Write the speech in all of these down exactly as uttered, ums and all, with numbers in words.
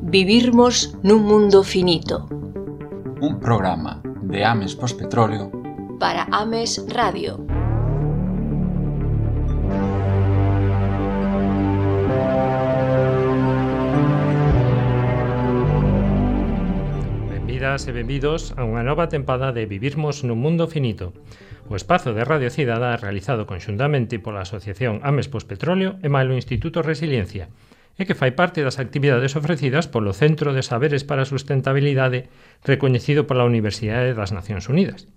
Vivirmos nun mundo finito. Un programa de Ames Pospetróleo para Ames Radio. Benvidas e benvidos a unha nova tempada de Vivirmos nun mundo finito, o espazo de Radio Cidadá realizado conxuntamente pola Asociación Ames Pospetróleo e mailo Instituto Resiliencia, e que fai parte das actividades ofrecidas polo Centro de Saberes para a Sustentabilidade recoñecido pola Universidade das Nacións Unidas.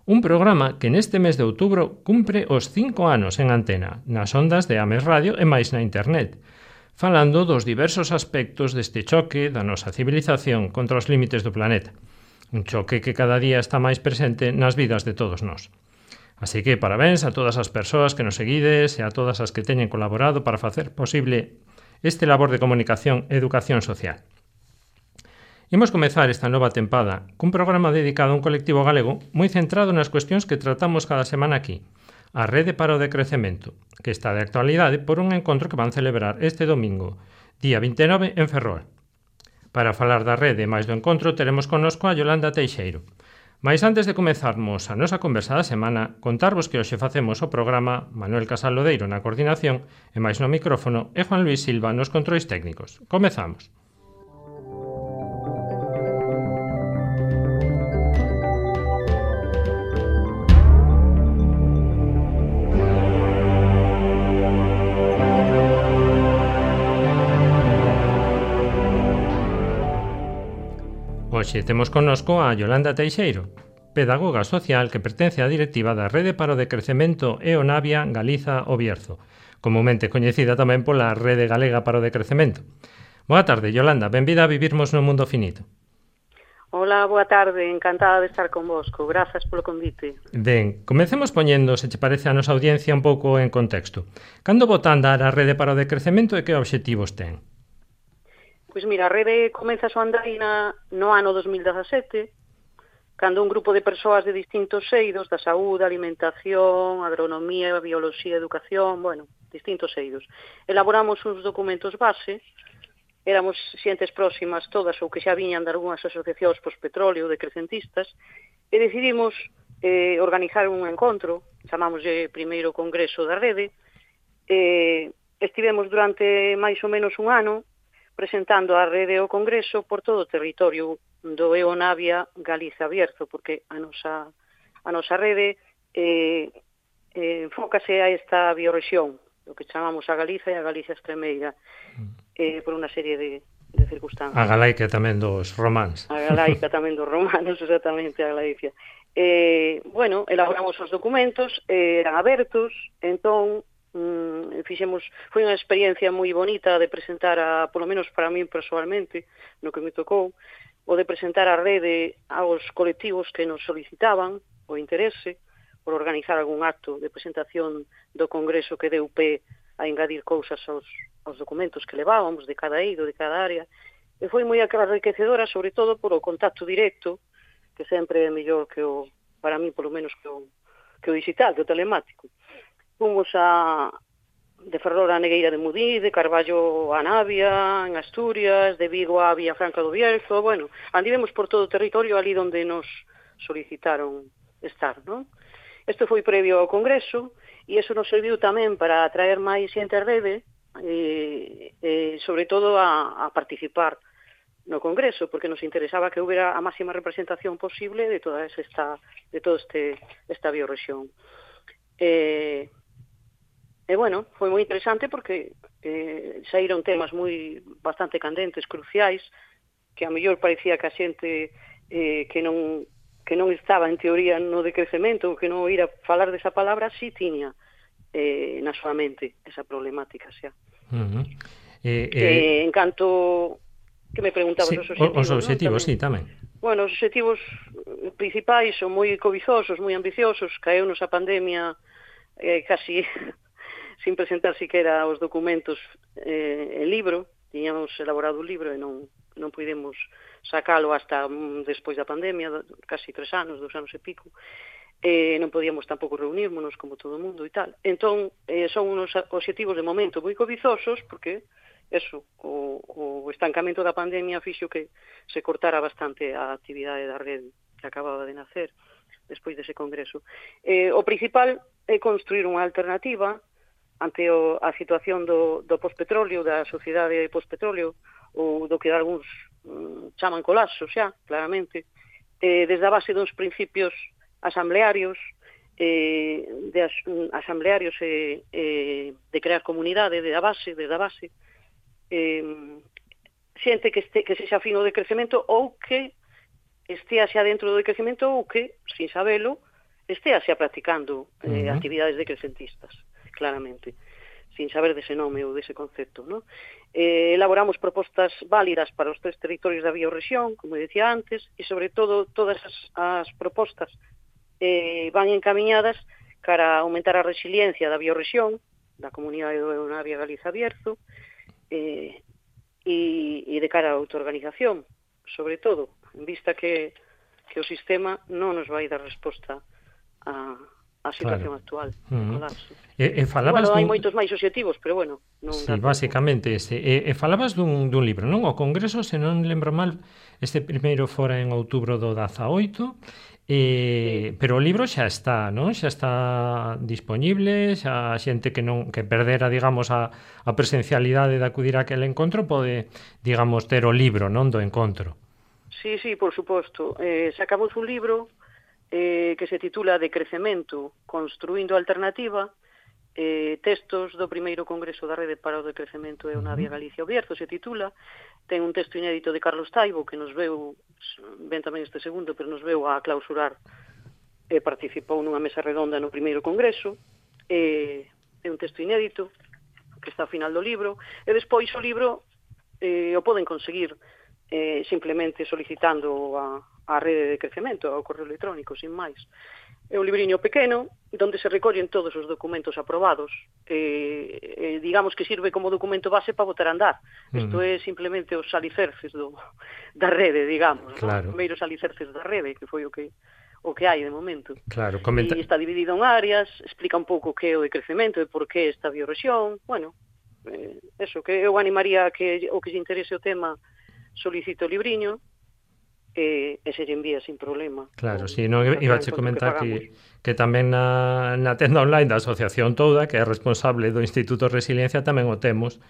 Un programa que neste mes de outubro cumpre os cinco anos en antena, nas ondas de Ames Radio e máis na internet, falando dos diversos aspectos deste choque da nosa civilización contra os límites do planeta. Un choque que cada día está máis presente nas vidas de todos nós. Así que parabéns a todas as persoas que nos seguides e a todas as que teñen colaborado para facer posible este labor de comunicación e educación social. Imos comezar esta nova tempada cun programa dedicado a un colectivo galego moi centrado nas cuestións que tratamos cada semana aquí, a Rede para o Decrecemento, que está de actualidade por un encontro que van celebrar este domingo, día vinte e nove, en Ferrol. Para falar da rede e máis do encontro teremos connosco a Yolanda Teixeiro. Mais antes de comezarmos a nosa conversa da semana, contarvos que hoxe facemos o programa Manuel Casal Lodeiro na coordinación e máis no micrófono e Juan Luis Silva nos controis técnicos. Comezamos. Hoxe temos connosco a Yolanda Teixeiro, pedagoga social que pertence á directiva da Rede para o Decrecemento e o Navia Galiza o Bierzo, comumente coñecida tamén pola Rede Galega para o Decrecemento. Boa tarde, Yolanda, benvida a Vivirmos no Mundo Finito. Hola, boa tarde, encantada de estar convosco, grazas polo convite. Ben, comecemos poñendo, se che parece a nosa audiencia, un pouco en contexto. Cando botan dar a Rede para o Decrecemento e que obxectivos ten? Pois mira, a rede comeza a súa andaina no ano dos mil dezasete, cando un grupo de persoas de distintos eidos, da saúde, alimentación, agronomía, bioloxía, educación, bueno, distintos eidos. Elaboramos uns documentos base, éramos xentes próximas todas ou que xa viñan de algunhas asociacións pospetróleo, decrecentistas, e decidimos eh, organizar un encontro, chamámoslle primeiro Congreso da Rede, e estivemos durante máis ou menos un ano presentando a rede o Congreso por todo o territorio do E O Navia Galiza Bierzo, porque a nosa, a nosa rede eh, eh, enfócase a esta biorrexión, o que chamamos a Galiza e a Galicia Extremeira, eh, por unha serie de, de circunstancias. A Galaica tamén dos románs. A Galaica tamén dos romanos, exactamente, a Galicia. Eh, bueno, elaboramos os documentos, eh, eran abertos, entón, Mm, fixemos, foi unha experiencia moi bonita de presentar a, polo menos para mí persoalmente, no que me tocou, o de presentar a rede aos colectivos que nos solicitaban o interese por organizar algún acto de presentación do Congreso que deu pé a engadir cousas aos, aos documentos que levábamos de cada eido, de cada área, e foi moi enriquecedora, sobre todo por o contacto directo, que sempre é mellor que o, para mí, polo menos que o, que o digital, que o telemático. Fomos a, de Ferrol a Negueira de Mudí, de Carballo a Navia, en Asturias, de Vigo a Villafranca do Bierzo, bueno, andivemos por todo o territorio ali onde nos solicitaron estar, non? Isto foi previo ao Congreso, e iso nos serviu tamén para atraer máis xente á rede, e, e sobre todo a, a participar no Congreso, porque nos interesaba que houbera a máxima representación posible de toda esta, de todo este, esta biorrexión. Eh, E, bueno, foi moi interesante porque eh, saíron temas moi bastante candentes, cruciais, que a mellor parecía que a xente eh, que non que non estaba en teoría no decrecemento, que non oíra falar desa palabra, si tiña eh, na súa mente esa problemática xa. Uh-huh. eh, eh... Eh, en canto que me preguntabas sí, os obxectivos, os obxectivos, ¿no? Sí, tamén. Bueno, os obxectivos principais son moi cobizosos, moi ambiciosos, caeunos a pandemia eh, casi sin presentar siquera os documentos eh, en libro, tiñamos elaborado un libro e non, non pudemos sacalo hasta mm, despois da pandemia, casi tres anos, dos anos e pico, eh, non podíamos tampouco reunirmonos como todo o mundo e tal. Entón, eh, son unos obxectivos de momento moi cobizosos, porque eso, o, o estancamento da pandemia fixo que se cortara bastante a actividade da rede que acababa de nacer despois dese congreso. Eh, o principal é construir unha alternativa ante o, a situación do, do pospetróleo, da sociedade pospetróleo, ou do que algúns mm, chaman colapso xa, claramente, eh, desde a base dos principios asamblearios, eh, de as, asamblearios eh, eh, de crear comunidade, de a base, desde a base, eh, xente que, este, que sexa fino de crecemento ou que estea xa dentro do crecemento ou que, sin sabelo, estea xa practicando eh, uh-huh. actividades decrecentistas, claramente, sin saber dese nome ou dese concepto, ¿no? Eh, elaboramos propostas válidas para os tres territorios da biorrexión, como decía antes, e sobre todo todas as, as propostas eh, van encamiñadas cara a aumentar a resiliencia da biorrexión, da comunidade do Navia Galiza Bierzo, eh, e, e de cara a autoorganización, sobre todo, en vista que, que o sistema non nos vai dar resposta a, a situación claro. actual. Uh-huh. E, e falabas bueno, hai dun... moitos máis obxectivos, pero bueno, non sí, basicamente ese. E, e falabas dun, dun libro, non? O Congreso, se non lembro mal, este primeiro fora en outubro do dezaoito, e, sí. pero o libro xa está, non? Xa está dispoñible, xa a xente que non que perdera, digamos, a, a presencialidade de acudir a aquel encontro pode, digamos, ter o libro, non, do encontro. Sí, sí, por suposto. Eh, sacamos un libro eh, que se titula De crecemento, construindo alternativa, eh, textos do primeiro congreso da Rede para o Decrecemento e o Navia Galicia Bierzo, se titula. Ten un texto inédito de Carlos Taibo, que nos veu, ben tamén este segundo, pero nos veu a clausurar e participou nunha mesa redonda no primeiro congreso. Eh, é un texto inédito, que está ao final do libro, e despois o libro eh, o poden conseguir eh, simplemente solicitando a, a rede de crecemento, ao correo electrónico, sin máis. É un libriño pequeno, onde se recollen todos os documentos aprobados, e, e digamos que sirve como documento base para botar a andar. Isto mm. é simplemente os alicerces do, da rede, digamos, claro. ¿no? Os primeiros alicerces da rede, que foi o que o que hai de momento. Claro, comenta... E está dividido en áreas, explica un pouco o que é o decrecemento e por que esta biorrexión. Bueno, eh, eso, que eu animaría a que o que se interese o tema solicite o libriño, e, e se lle envía sin problema. Claro, si, sí, non iba a che comentar que, que tamén na, na tenda online da Asociación Touda, que é responsable do Instituto Resiliencia, tamén o temos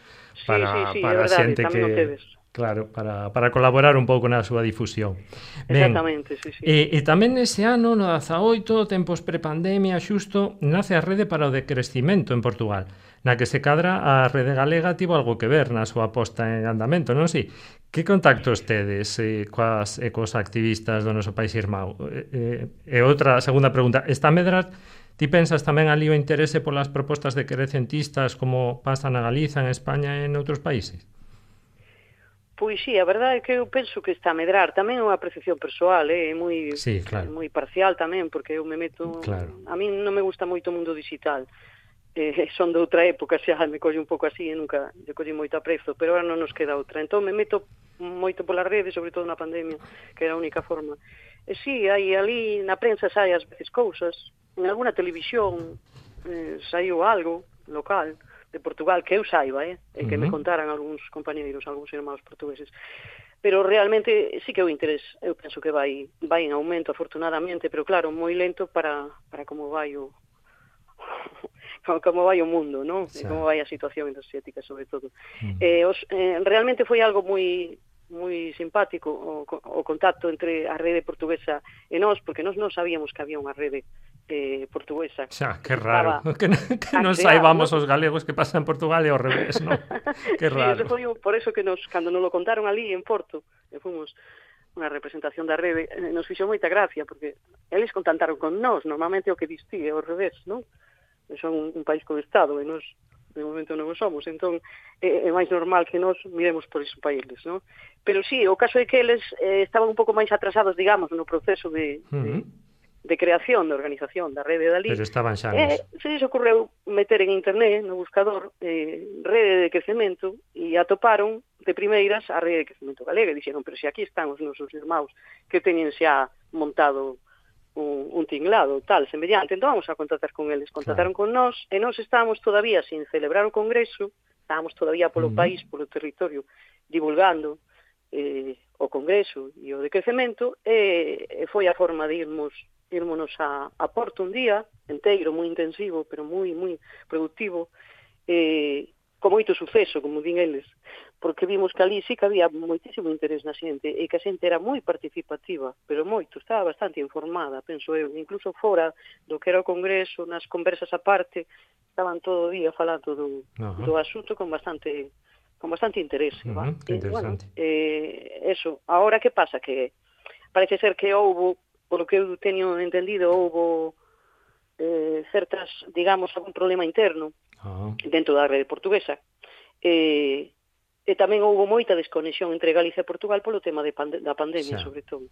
para, sí, sí, sí, para a xente que... Claro, para, para colaborar un pouco na súa difusión. Ben, exactamente, sí, sí. E, e tamén nese ano, no dezaoito, tempos prepandemia, xusto, nace a Rede para o Decrecimento en Portugal, na que se cadra a Rede Galega tivo algo que ver na súa posta en andamento, non si? Que contactos tedes eh, coas, e cos activistas do noso país irmão? E, e, e outra segunda pregunta, está a medrar, ti pensas tamén ali o interese polas propostas decrecentistas como pasa na Galiza, en España e en outros países? Pois sí, a verdade é que eu penso que está a medrar. Tamén é unha apreciación persoal, é eh? moi, sí, claro. moi parcial tamén, porque eu me meto... Claro. A mí non me gusta moito o mundo digital. Eh, son de outra época, xa me colle un pouco así e nunca lle colle moito aprezo, pero ahora non nos queda outra. Entón me meto moito pola rede, sobre todo na pandemia, que era a única forma. E sí, aí ali na prensa sai ás veces cousas, en alguna televisión eh, saiu algo local de Portugal, que eu saiba, eh, e que uh-huh. me contaran algúns compañeiros, algúns irmãos portugueses. Pero realmente sí que o interés, eu penso que vai vai en aumento, afortunadamente, pero claro, moi lento para, para como vai o como vai o mundo, non? Sí. E como vai a situación enerxética, sobre todo. Uh-huh. Eh, os, eh, realmente foi algo moi moi simpático o, o contacto entre a rede portuguesa e nós, porque nós non sabíamos que había unha rede eh, portuguesa. Xa, que raro, que, que non saibamos, ¿no? Os galegos que pasan en Portugal e ao revés, non? Que raro. Sí, foi por eso que nos, cando nos lo contaron ali en Porto, e fomos unha representación da rede, nos fixo moita gracia, porque eles contactaron con nós, normalmente o que distí é ao revés, non? Son un, un país con Estado, e nós de momento non o somos, entón é, é máis normal que nós miremos por esos países, non? Pero sí, o caso é que eles eh, estaban un pouco máis atrasados, digamos, no proceso de, uh-huh. de, de creación, de organización da rede dali. Pero estaban xa eh, se lles ocorreu meter en internet, no buscador, eh, rede de crecemento, e atoparon de primeiras a rede de crecemento galega, e dixeron, pero se aquí están os nosos irmãos que teñen xa montado un, un tinglado, tal, semellante, entón vamos a contactar con eles. Contactaron claro. con nós, e nós estábamos todavía sin celebrar o congreso, estábamos todavía polo Uh-huh. país, polo territorio, divulgando eh, o Congreso e o decrecemento, e, e foi a forma de irmos irmonos a, a Porto un día, enteiro, moi intensivo, pero moi, moi productivo, eh, con moito suceso, como din eles, porque vimos que ali sí que había moitísimo interés na xente, e que a xente era moi participativa, pero moito, estaba bastante informada, penso eu, incluso fora do que era o Congreso, nas conversas aparte, estaban todo o día falando do, Ajá. do asunto con bastante con bastante interese. Uh-huh, va? que E, bueno, interesante. eh, eso, ahora que pasa? Que parece ser que houbo, polo que eu teño entendido, houbo eh, certas, digamos, algún problema interno Ah, dentro da rede portuguesa. E, e tamén houbo moita desconexión entre Galicia e Portugal polo tema de pande da pandemia, Xa. sobre todo.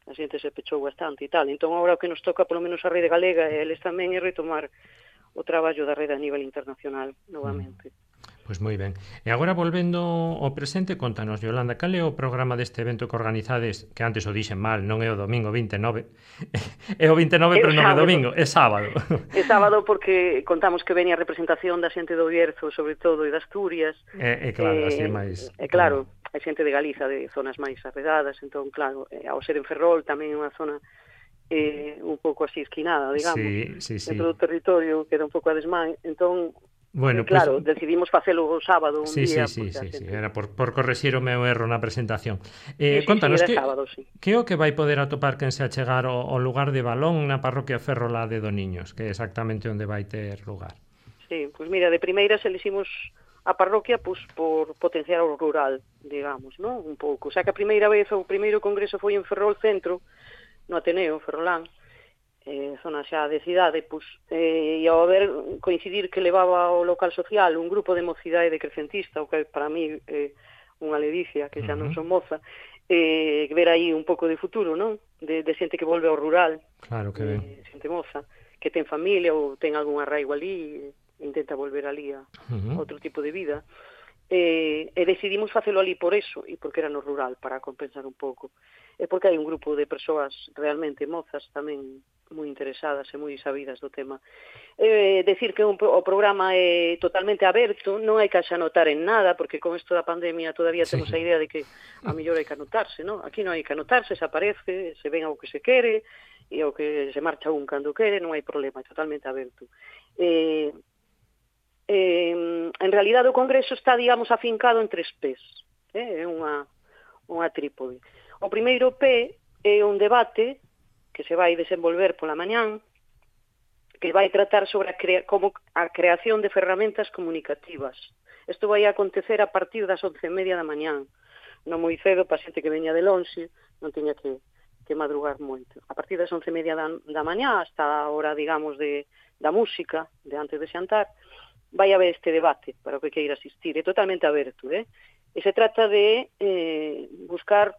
A xente se pechou bastante e tal. Entón, agora o que nos toca, polo menos a rede galega, e eles tamén, é retomar o traballo da rede a nivel internacional, novamente. Pois moi ben. E agora volvendo ao presente, contanos, Yolanda, cal é o programa deste evento que organizades, que antes o dixen mal, non é o domingo vinte e nove, é o vinte e nove, É o pero non é sábado. domingo, é sábado. É sábado porque contamos que veña a representación da xente do Bierzo, sobre todo, e de Asturias. É, é claro, así é máis... É claro, hai xente de Galiza, de zonas máis arredadas, entón, claro, eh, ao ser en Ferrol tamén é unha zona eh, un pouco así esquinada, digamos, Sí, sí, sí. dentro do territorio, queda un pouco a desmán, entón, Bueno, eh, claro, pues, decidimos facelo o sábado un sí, día. sí, sí, porque a sí, sí, xente- era por, por correxir o meu erro na presentación. Eh, Sí, sí, contanos, sí, era que, sábado, sí. que é o que vai poder atopar quen se achegar ao, ao lugar de Balón na parroquia Ferrolá de Doniños, que é exactamente onde vai ter lugar? Sí, pois mira, de primeiras eliximos a parroquia pois, por potenciar o rural, digamos, ¿no? Un pouco. O sea que a primeira vez, o primeiro congreso foi en Ferrol Centro, no Ateneo, Ferrolán, eh, zona xa de cidade, pois, eh, e ao haber coincidir que levaba o local social un grupo de mocidade decrecentista, o que para mí é eh, unha ledicia, que xa non son moza, eh, ver aí un pouco de futuro, non? De, de xente que volve ao rural, Claro que ben. eh, xente moza, que ten familia ou ten algún arraigo ali, e intenta volver ali a Uh-huh. outro tipo de vida. E, e decidimos facelo ali por eso, e porque era no rural, para compensar un pouco. E porque hai un grupo de persoas realmente mozas tamén moi interesadas e moi sabidas do tema. Eh, decir que un, o programa é totalmente aberto, non hai que xa anotar en nada, porque con isto da pandemia todavía Sí. temos a idea de que a mellor hai que anotarse, non? Aquí non hai que anotarse, se aparece, se ven ao que se quere, e ao que se marcha un cando quere, non hai problema, é totalmente aberto. Eh, eh, en realidad o Congreso está, digamos, afincado en tres P's, eh? É unha, unha trípode. O primeiro P é un debate que se vai desenvolver pola mañán, que vai tratar sobre a, crea como a creación de ferramentas comunicativas. Isto vai acontecer a partir das once e media da mañán, non moi cedo, para xente que veña de lonxe, non teña que, que madrugar moito. A partir das once e media da, da mañá, hasta a hora, digamos, de, da música, de antes de xantar, vai haber este debate para o que queira asistir. É totalmente aberto, eh? E se trata de eh, buscar,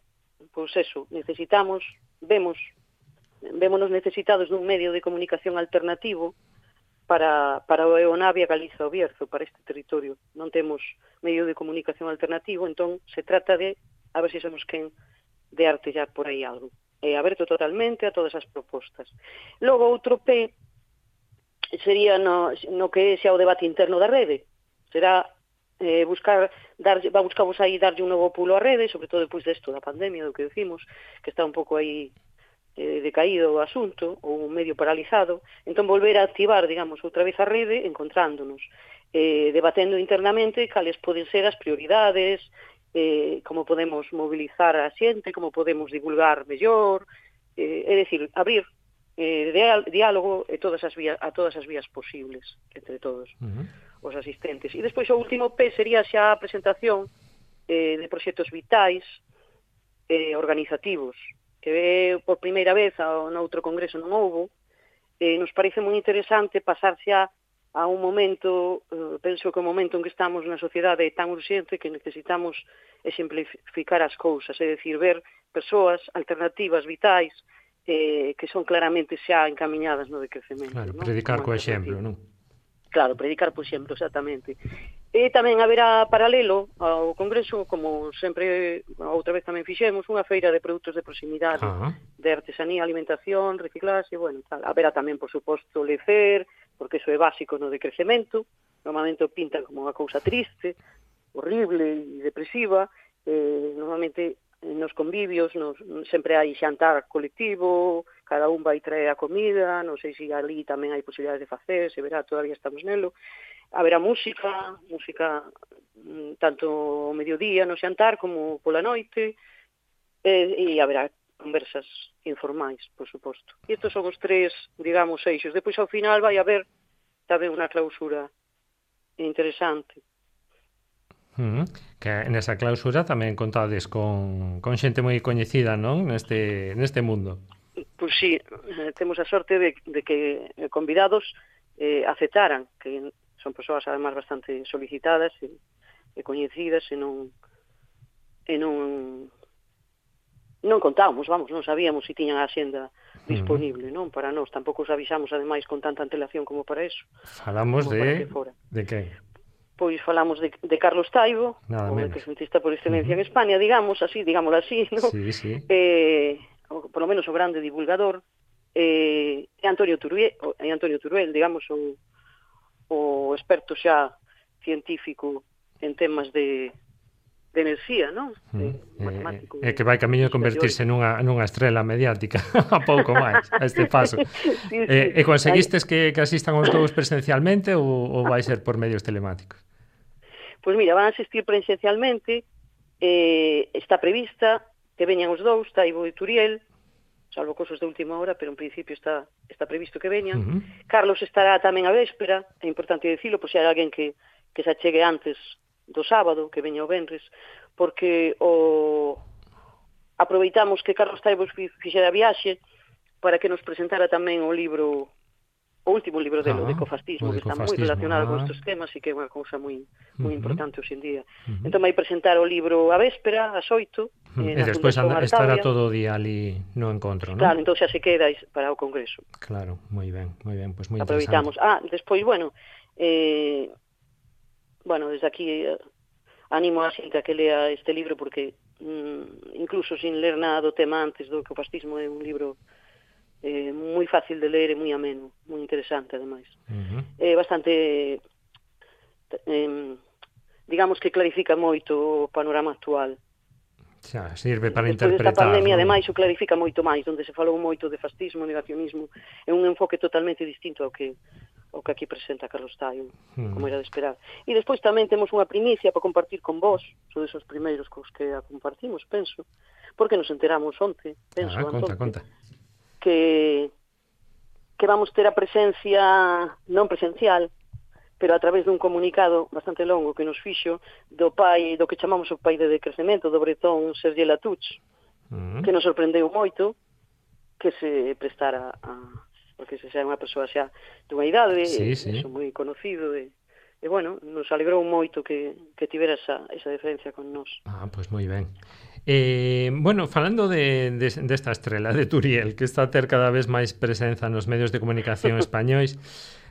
pois eso, necesitamos, vemos, vémonos necesitados dun medio de comunicación alternativo para, para o Eonavia Galiza o Bierzo, para este territorio. Non temos medio de comunicación alternativo, entón se trata de, a ver se somos quen de artellar por aí algo. É aberto totalmente a todas as propostas. Logo, outro P sería no, no que xa o debate interno da rede. Será eh, buscar, dar, va a buscamos aí darlle un novo pulo á rede, sobre todo depois desto da pandemia, do que decimos, que está un pouco aí eh, decaído o asunto, ou medio paralizado, entón volver a activar, digamos, outra vez a rede, encontrándonos, eh, debatendo internamente cales poden ser as prioridades, eh, como podemos mobilizar a xente, como podemos divulgar mellor, eh, é dicir, abrir eh, diálogo e todas as vías, a todas as vías posibles entre todos Uh-huh. os asistentes. E despois o último P sería xa a presentación eh, de proxectos vitais eh, organizativos, que é por primeira vez ao noutro congreso non houbo. Eh, nos parece moi interesante pasar xa a un momento, eh, penso que o momento en que estamos na sociedade é tan urxente que necesitamos exemplificar as cousas, é dicir, ver persoas alternativas, vitais, eh, que son claramente xa encamiñadas no decrecemento. Claro, non? predicar Como co exemplo, alternativa. non? Claro, predicar por exemplo, exactamente. E tamén haberá paralelo ao Congreso, como sempre, outra vez tamén fixemos, unha feira de produtos de proximidade, Ah. de artesanía, alimentación, reciclaxe, bueno, tal. Haberá tamén, por suposto, lecer, porque iso é básico no decrecemento, normalmente o pintan como unha cousa triste, horrible e depresiva. Eh, normalmente nos convivios nos, sempre hai xantar colectivo, cada un vai traer a comida, non sei se ali tamén hai posibilidades de facer, se verá, todavía estamos nelo. Haberá música, música tanto ao mediodía no xantar como pola noite, e, e haberá conversas informais, por suposto. E estes son os tres, digamos, eixos. Depois, ao final, vai haber tamén unha clausura interesante. Uh-huh. Que nesa clausura tamén contades con, con xente moi coñecida, non? Neste, neste mundo. Pois sí, eh, temos a sorte de, de que convidados eh, aceptaran, que son persoas además bastante solicitadas e, e coñecidas, e non e non non contábamos, vamos, non sabíamos se tiñan a axenda disponible, non? Para nós, tampouco os avisamos ademais con tanta antelación como para eso. Falamos de... Que de que? Pois falamos de, de Carlos Taibo, o decrecentista por excelencia uh-huh. en España, digamos, así, digámoslo así, non? Sí, sí. Eh, o, por lo menos o grande divulgador, eh, e Antonio Turuel, e Antonio Turuel, digamos, o, o experto xa científico en temas de de enerxía, non? De matemático. É que vai camiño de convertirse nunha, nunha estrela mediática a pouco máis, a este paso. sí, sí. Eh, e conseguistes que, que asistan os dous presencialmente ou, ou vai ser por medios telemáticos? Pois mira, van a asistir presencialmente, eh, está prevista que veñan os dous, Taibo e Turiel, salvo cosas de última hora, pero en principio está, está previsto que veñan. Uh-huh. Carlos estará tamén a véspera, é importante dicilo, por se hai alguén que, que se achegue antes do sábado, que veña o venres, porque o aproveitamos que Carlos Taibo fixera a viaxe para que nos presentara tamén o libro, o último libro dele, ah, de ecofascismo, que está moi relacionado ah. con estes temas e que é unha cousa moi moi uh-huh. importante hoxe en día. Uh-huh. Entón vai presentar o libro a véspera, ás oito, uh-huh. e despois estará todo o día ali no encontro, non? Claro, entón xa se queda para o congreso. Claro, moi ben, moi ben, pois pues moi aproveitamos. interesante. Ah, despois, bueno, eh bueno, desde aquí eh, animo a xente a que lea este libro porque mm, incluso sin ler nada do tema antes do ecofascismo é un libro eh, moi fácil de ler e moi ameno, moi interesante ademais. Uh-huh. É bastante eh, digamos que clarifica moito o panorama actual. Xa, sirve para despois interpretar. Desta pandemia, ¿no? Ademais, o clarifica moito máis, onde se falou moito de fascismo, negacionismo, é un enfoque totalmente distinto ao que o que aquí presenta Carlos Taibo, hmm. como era de esperar. E despois tamén temos unha primicia para compartir con vos, son esos primeiros cos que a compartimos, penso, porque nos enteramos onte, penso, ah, conta, onte, conta. que que vamos ter a presencia non presencial, pero a través dun comunicado bastante longo que nos fixo do pai, do que chamamos o pai de decrecemento, do bretón Serge Latouch, hmm. que nos sorprendeu moito que se prestara a porque se xa é unha persoa xa dunha idade, sí, sí. é moi conocido, e, e bueno, nos alegrou moito que, que tivera esa, esa diferencia con nós. Ah, pois pues moi ben. Eh, bueno, falando de, de, desta estrela de Turiel, que está a ter cada vez máis presenza nos medios de comunicación españois,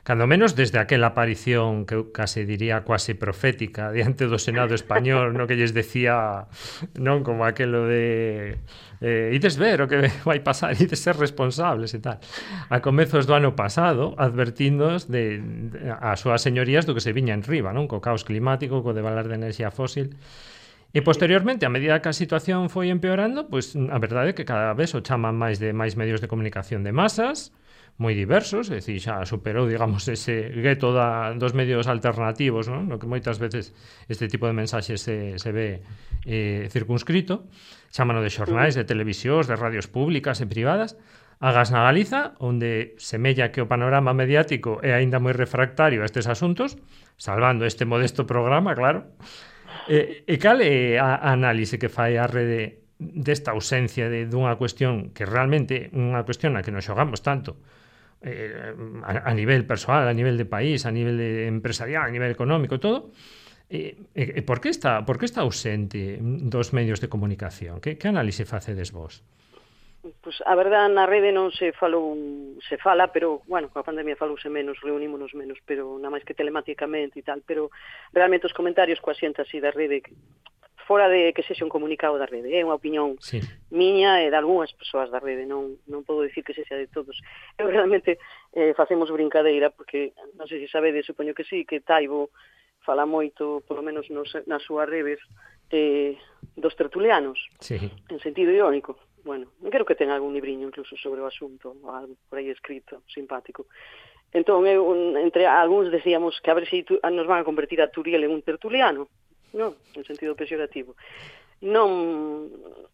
cando menos desde aquela aparición que eu case diría quase profética diante do Senado español, no que lles decía, non, como aquelo de eh, ides ver o que vai pasar, ides ser responsables e tal, a comezos do ano pasado, advertíndoos de, de as súas señorías do que se viña en riba, non, co caos climático, co devalar de enerxía fósil. E posteriormente, a medida que a situación foi empeorando, pois a verdade é que cada vez o chaman máis de máis medios de comunicación de masas, moi diversos, é dicir, xa superou, digamos, ese gueto da, dos medios alternativos, non? No que moitas veces este tipo de mensaxes se, se ve eh, circunscrito, chámano de xornais, de televisións, de radios públicas e privadas, agas na Galiza, onde semella que o panorama mediático é aínda moi refractario a estes asuntos, salvando este modesto programa, claro. E, e cal é a, a análise que fai a rede desta ausencia de, dunha cuestión que realmente unha cuestión na que nos xogamos tanto eh, a, a nivel persoal, a nivel de país, a nivel de empresarial, a nivel económico, todo, e, e, e por que está, por que está ausente dos medios de comunicación? Que, que análise facedes vos? Pois a verdade, na rede non se falou, se fala, pero, bueno, coa pandemia falouse menos, reunímonos menos, pero nada máis que telemáticamente e tal, pero realmente os comentarios coa xente así da rede fora de que sexa un comunicado da rede, é unha opinión sí. miña e de algunhas persoas da rede, non, non podo dicir que sexa de todos. Eu realmente eh, facemos brincadeira, porque non sei se sabedes, supoño que sí, que Taibo fala moito, polo menos nos, nas súas redes, eh, dos tertulianos, sí. en sentido irónico. Bueno, creo que ten algún libriño incluso sobre o asunto, ou algo por aí escrito, simpático. Entón, eu, entre algúns decíamos que a ver se si nos van a convertir a Turiel en un tertuliano, non, en sentido peyorativo. Non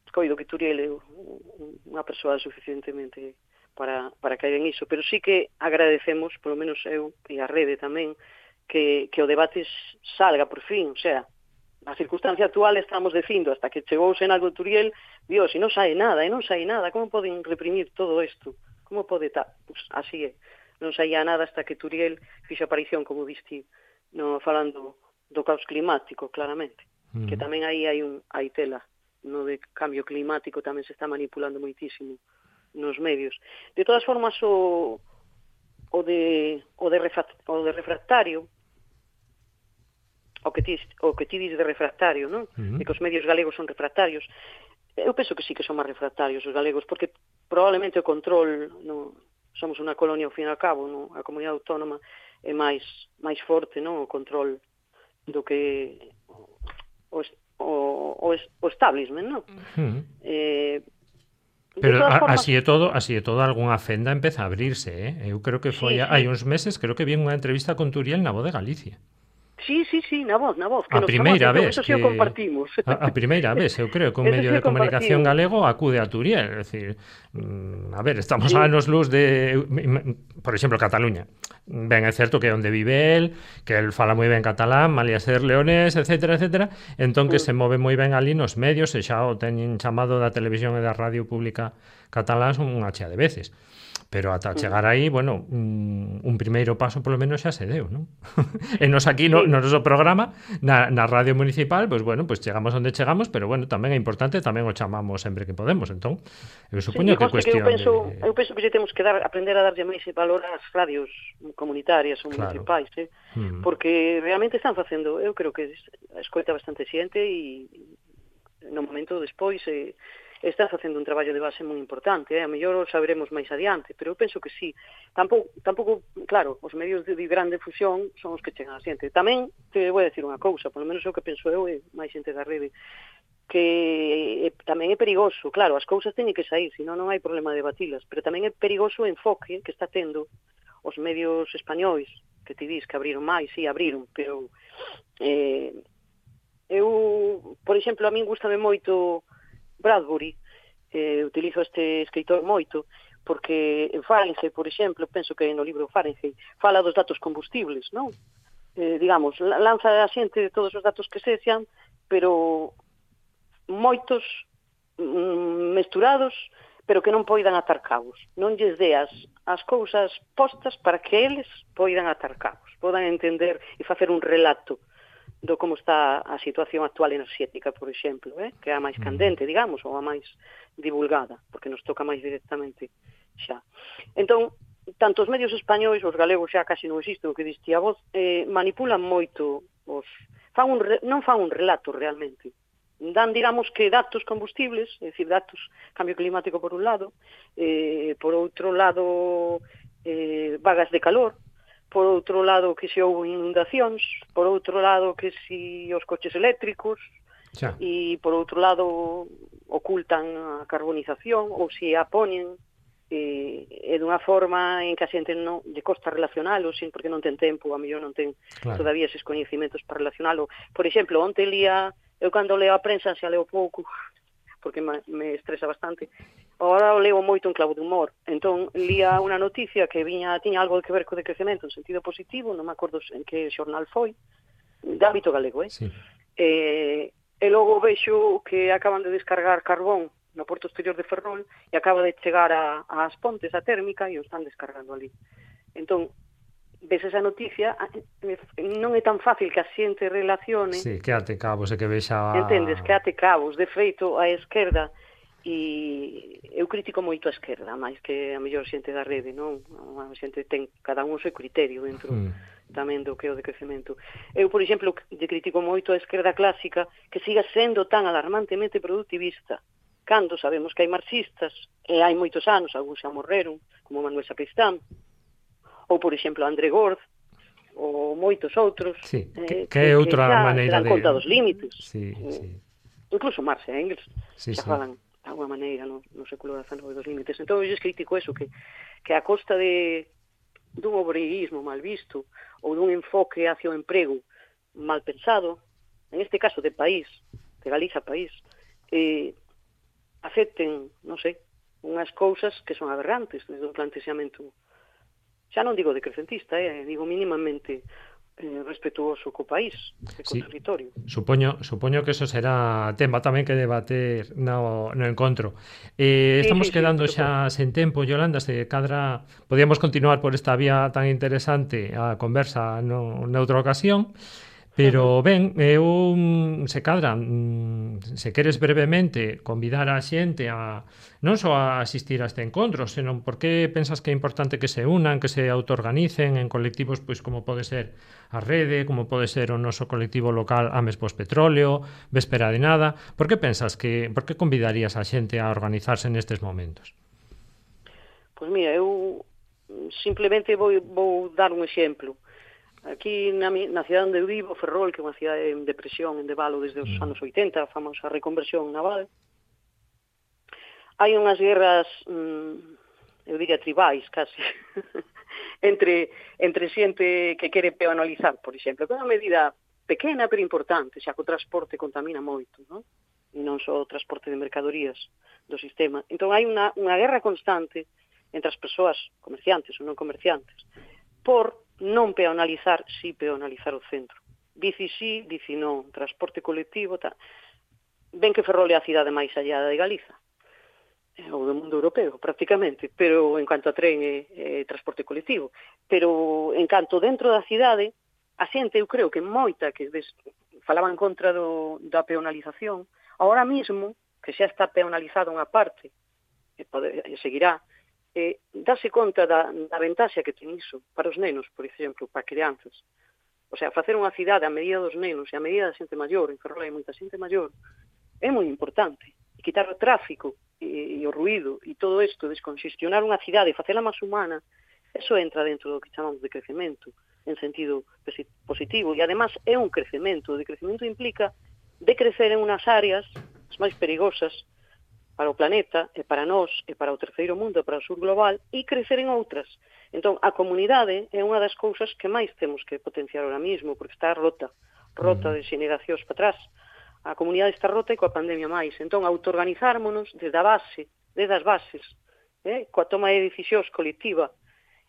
coido que Turiel é unha persoa suficientemente para, para caer en iso, pero sí que agradecemos, polo menos eu e a rede tamén, que, que o debate salga por fin, o sea, a circunstancia actual estamos dicindo, hasta que chegou o Senado de Turiel, Dios, e non sai nada, e non sai nada, como poden reprimir todo isto? Como pode estar? Pues así é, non saía nada hasta que Turiel fixo aparición, como diste, no, falando do caos climático, claramente, mm. que tamén aí hai, un, hai tela, no de cambio climático tamén se está manipulando moitísimo nos medios. De todas formas, o, o, de, o, de, o de refractario, o que ti, o que ti dices de refractario, non? Uh-huh. De que os medios galegos son refractarios. Eu penso que sí que son máis refractarios os galegos, porque probablemente o control, no, somos unha colonia ao fin e ao cabo, no? A comunidade autónoma é máis máis forte, non? O control do que o, o, o, o establishment, non? Uh-huh. Eh, Pero a, formas... así é todo, así é todo, algunha fenda empeza a abrirse, eh? Eu creo que foi sí, hai sí. uns meses, creo que vi unha entrevista con Turiel na Voz de Galicia. Sí, sí, sí, na voz, na voz. Que a primeira vez que... Eso compartimos. A, a primeira vez, eu creo que un medio de comunicación galego acude a Turiel. É dicir, a ver, estamos sí. a anos luz de, por exemplo, Cataluña. Ben, é certo que é onde vive el, que el fala moi ben catalán, malia ser leonés, etcétera, etcétera. Entón que mm. se move moi ben ali nos medios, e xa o teñen chamado da televisión e da radio pública catalán unha chea de veces. Pero ata chegar aí, bueno, un, un primeiro paso polo menos xa se deu, non? E nos aquí, no, no noso programa, na, na radio municipal, pois, pues, bueno, pois pues chegamos onde chegamos, pero, bueno, tamén é importante, tamén o chamamos sempre que podemos, entón, eu supoño sí, que é cuestión que eu penso, de... Eu penso que lle temos que dar, aprender a darlle máis valor ás radios comunitarias ou claro. municipais, eh? Mm. Porque realmente están facendo, eu creo que escoita bastante xente e no momento despois... Eh, está facendo un traballo de base moi importante, eh? A mellor o saberemos máis adiante, pero eu penso que sí. Tampouco, tampouco, claro, os medios de grande difusión son os que chegan a xente. Tamén te vou a decir unha cousa, polo menos o que penso eu e máis xente da rede, que eh, tamén é perigoso, claro, as cousas teñen que sair, senón non hai problema de batilas, pero tamén é perigoso o enfoque que está tendo os medios españois, que ti dis que abriron máis, sí, abriron, pero eh, eu, por exemplo, a min gustame moito Bradbury, eh, utilizo este escritor moito, porque en Fahrenheit, por exemplo, penso que no libro Fahrenheit, fala dos datos combustibles, non? Eh, digamos, lanza a xente de todos os datos que se xan, pero moitos mm, mesturados, pero que non poidan atar cabos. Non lles deas as cousas postas para que eles poidan atar cabos, podan entender e facer un relato do como está a situación actual enerxética, por exemplo, eh? que é a máis candente, digamos, ou a máis divulgada, porque nos toca máis directamente xa. Entón, tanto os medios españois, os galegos xa casi non existen, o que diste a voz, eh, manipulan moito, os fan un re... non fan un relato realmente. Dan, digamos, que datos combustibles, é dicir, datos cambio climático por un lado, eh, por outro lado, eh, vagas de calor, por outro lado que se houve inundacións, por outro lado que se os coches eléctricos, xa. E por outro lado ocultan a carbonización ou se a poñen e, e dunha forma en que a xente non lle costa relacionalo, sin porque non ten tempo, a mellor non ten claro. Todavía eses coñecimentos para relacionalo. Por exemplo, onte lía, eu cando leo a prensa xa leo pouco, porque me estresa bastante. Agora o leo moito en clavo de humor. Entón, lía unha noticia que viña tiña algo que ver co decrecemento en sentido positivo, non me acordo en que xornal foi, de ámbito galego, eh? Sí. Eh, e logo vexo que acaban de descargar carbón no porto exterior de Ferrol e acaba de chegar a, a As Pontes, a térmica, e o están descargando ali. Entón, ves esa noticia, non é tan fácil que a xente relacione... Sí, que ate cabos e que vexa... Entendes, que ate cabos. De feito, a esquerda, e eu critico moito a esquerda, máis que a mellor xente da rede, non? A xente ten, cada un o seu criterio dentro mm. tamén do que é o decrecemento. Eu, por exemplo, lle critico moito a esquerda clásica que siga sendo tan alarmantemente productivista, cando sabemos que hai marxistas, e hai moitos anos, algúns xa morreron, como Manuel Sacristán, ou, por exemplo, André Gord, ou moitos outros, sí, eh, que, que é outra que maneira de... de... conta dos límites. Sí, sí. Incluso Marx e Engels sí, xa sí. falan de alguma maneira no, no século dezanove dos límites. Entón, eu crítico eso, que, que a costa de dun obreirismo mal visto ou dun enfoque hacia o emprego mal pensado, en este caso de país, de Galiza país, eh, acepten, non sei, unhas cousas que son aberrantes desde un plantexamento, xa non digo decrecentista, eh, digo mínimamente eh, respetuoso co país e co sí. territorio. Supoño, supoño que eso será tema tamén que debater no, no encontro. Eh, Sí, estamos sí, quedando sí, xa sen tempo, Yolanda, se cadra podíamos continuar por esta vía tan interesante a conversa no, noutra ocasión. Pero, ben, eu, se cadra, se queres brevemente convidar a xente a non só a asistir a este encontro, senón porque pensas que é importante que se unan, que se autoorganicen en colectivos pois como pode ser a Rede, como pode ser o noso colectivo local Ames Pospetróleo, Véspera de Nada. Por que pensas que, por que convidarías a xente a organizarse nestes momentos? Pois mira, eu simplemente vou, vou dar un exemplo. Aquí na, na cidade onde eu vivo, Ferrol, que é unha cidade en depresión, en debalo desde os mm. anos oitenta, a famosa reconversión naval, hai unhas guerras, mmm, eu diría tribais, casi, entre, entre xente que quere peonalizar, por exemplo, que é unha medida pequena pero importante, xa que o transporte contamina moito, non? E non só o transporte de mercadorías do sistema. Entón hai unha, unha guerra constante entre as persoas comerciantes ou non comerciantes por non peonalizar, si peonalizar o centro. Bici si, bici non, transporte colectivo, tal. Ben que Ferrol é a cidade máis allá de Galiza, ou do mundo europeo, prácticamente, pero en cuanto a tren e, e transporte colectivo. Pero en canto dentro da cidade, a xente, eu creo que moita que des, falaba en contra do, da peonalización, ahora mismo, que xa está peonalizada unha parte, e, pode, e seguirá, eh, darse conta da, da ventaxa que ten iso para os nenos, por exemplo, para crianzas. O sea, facer unha cidade a medida dos nenos e a medida da xente maior, en Ferrol hai moita xente maior, é moi importante. E quitar o tráfico e, e o ruído e todo isto, desconxestionar unha cidade e facela máis humana, eso entra dentro do que chamamos de crecemento, en sentido positivo. E además é un crecemento. O decrecemento implica decrecer en unhas áreas as máis perigosas para o planeta, e para nós, e para o terceiro mundo, e para o sur global, e crecer en outras. Entón, a comunidade é unha das cousas que máis temos que potenciar ahora mismo, porque está rota, rota de xeneracións para atrás. A comunidade está rota e coa pandemia máis. Entón, autoorganizármonos desde a base, desde as bases, eh, coa toma de decisións colectiva,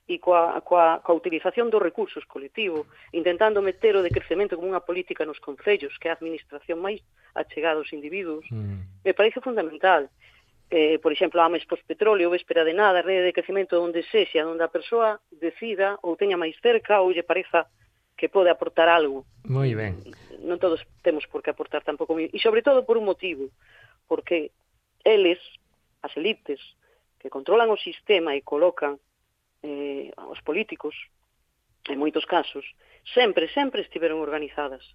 e coa, coa, coa utilización dos recursos colectivos, intentando meter o decrecemento como unha política nos concellos, que é a administración máis achegada aos individuos, mm. me parece fundamental. Eh, por exemplo, Ames Pospetróleo, Véspera de Nada, Rede de Crecemento onde sexa, onde a persoa decida ou teña máis cerca ou lle pareza que pode aportar algo. Moi ben. Non todos temos por que aportar tampouco. E sobre todo por un motivo, porque eles, as elites, que controlan o sistema e colocan eh, os políticos, en moitos casos, sempre, sempre estiveron organizadas.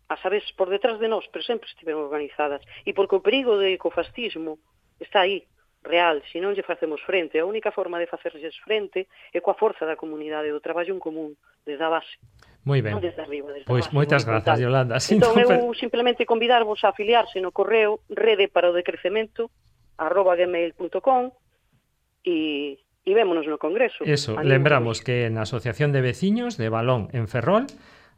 A sabes, por detrás de nós, pero sempre estiveron organizadas. E porque o perigo de ecofascismo está aí, real, se non lle facemos frente. A única forma de facerlles frente é coa forza da comunidade, do traballo en común, desde a base. Moi ben. Non desde arriba, desde pois a base. Moitas grazas, Yolanda. Entón, eu simplemente convidarvos a afiliarse no correo rede para o decrecemento arroba gmail punto com e E vémonos no Congreso. Eso, lembramos que na Asociación de Veciños de Balón en Ferrol,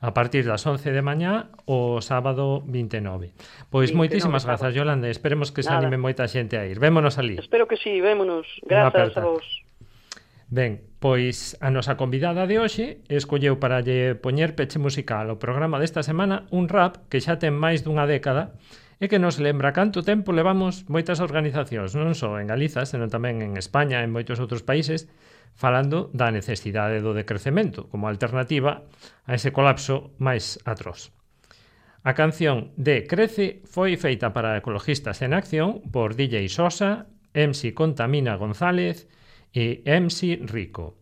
a partir das once de mañá, o sábado vinte e nove. Pois moitísimas grazas, Yolanda, esperemos que se anime moita xente a ir. Vémonos ali. Espero que sí, vémonos. Grazas a vos. Ben, pois a nosa convidada de hoxe escolleu para lle poñer peche musical ao programa desta semana un rap que xa ten máis dunha década e que nos lembra canto tempo levamos moitas organizacións, non só en Galiza, senón tamén en España e en moitos outros países, falando da necesidade do decrecemento como alternativa a ese colapso máis atroz. A canción de Crece foi feita para Ecologistas en Acción por D J Sosa, M C Contamina González e M C Rico.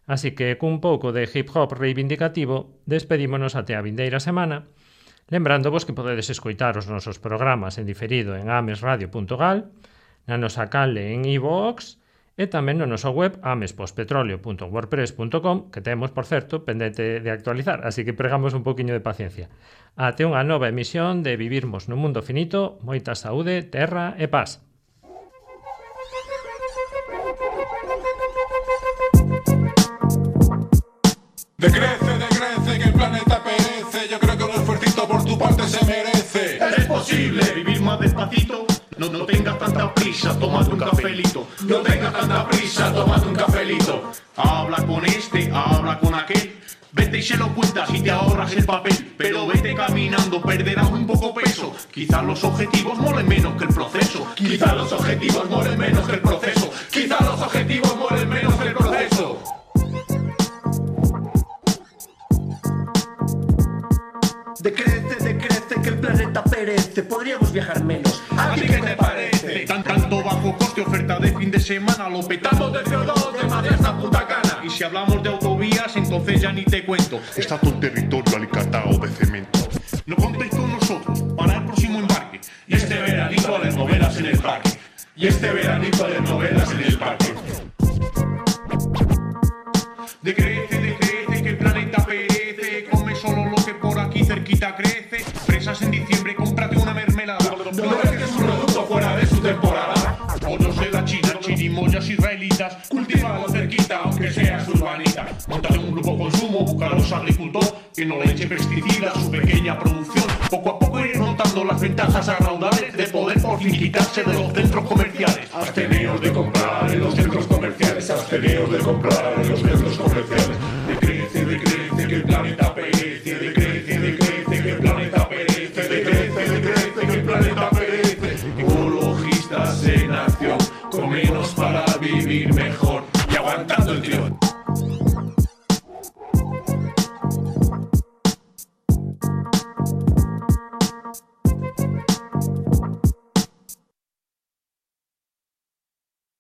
Así que cun pouco de hip hop reivindicativo despedímonos até a vindeira semana, lembrándovos que podedes escoitar os nosos programas en diferido en amesradio punto gal, na nosa canle en iVoox e tamén no noso web amespospetroleo punto wordpress punto com, que temos, por certo, pendente de actualizar, así que pregamos un poquinho de paciencia. Até unha nova emisión de Vivirmos nun Mundo Finito, moita saúde, terra e paz. Decrece, decrece, que el planeta perece. Yo creo que un esfuercito por tu parte se merece. Es posible vivir más despacito. No, no tengas tanta prisa, tómate un cafelito. No tengas tanta prisa, tómate un cafelito. Habla con este, habla con aquel. Vete y se lo cuentas y te ahorras el papel. Pero vete caminando, perderás un poco peso. Quizás los objetivos molen menos que el proceso. Quizá los objetivos molen menos que el proceso. Quizá los objetivos molen menos que el proceso. Decrece, decrece, que el planeta perece. Podríamos viajar menos. ¿A ti qué te parece? Tan, tanto bajo coste, oferta de fin de semana. Lo petamos Estamos de C O dos de Madrid hasta Punta Cana. Y si hablamos de autovías, entonces ya ni te cuento. Está todo el territorio alicatado de cemento. No contéis con nosotros para el próximo embarque. Y este veranito a leer novelas en el parque. Y este veranito a leer novelas en el parque. Decrece, decrece, que el planeta perece. Come solo lo que por aquí cerquita crece. Fresas en diciembre, cómprate una mermelada. No dejes un producto fuera de su temporada. Pollos de la China, chirimoyas israelitas. Cultívalo cerquita, aunque seas urbanita. Móntate un grupo consumo, busca a los agricultores que no le echen pesticidas a su pequeña producción. Poco a poco ir notando las ventajas raudales de poder por fin quitarse de los centros comerciales. Absteneos de comprar en los centros comerciales. Absteneos de comprar en los centros comerciales. De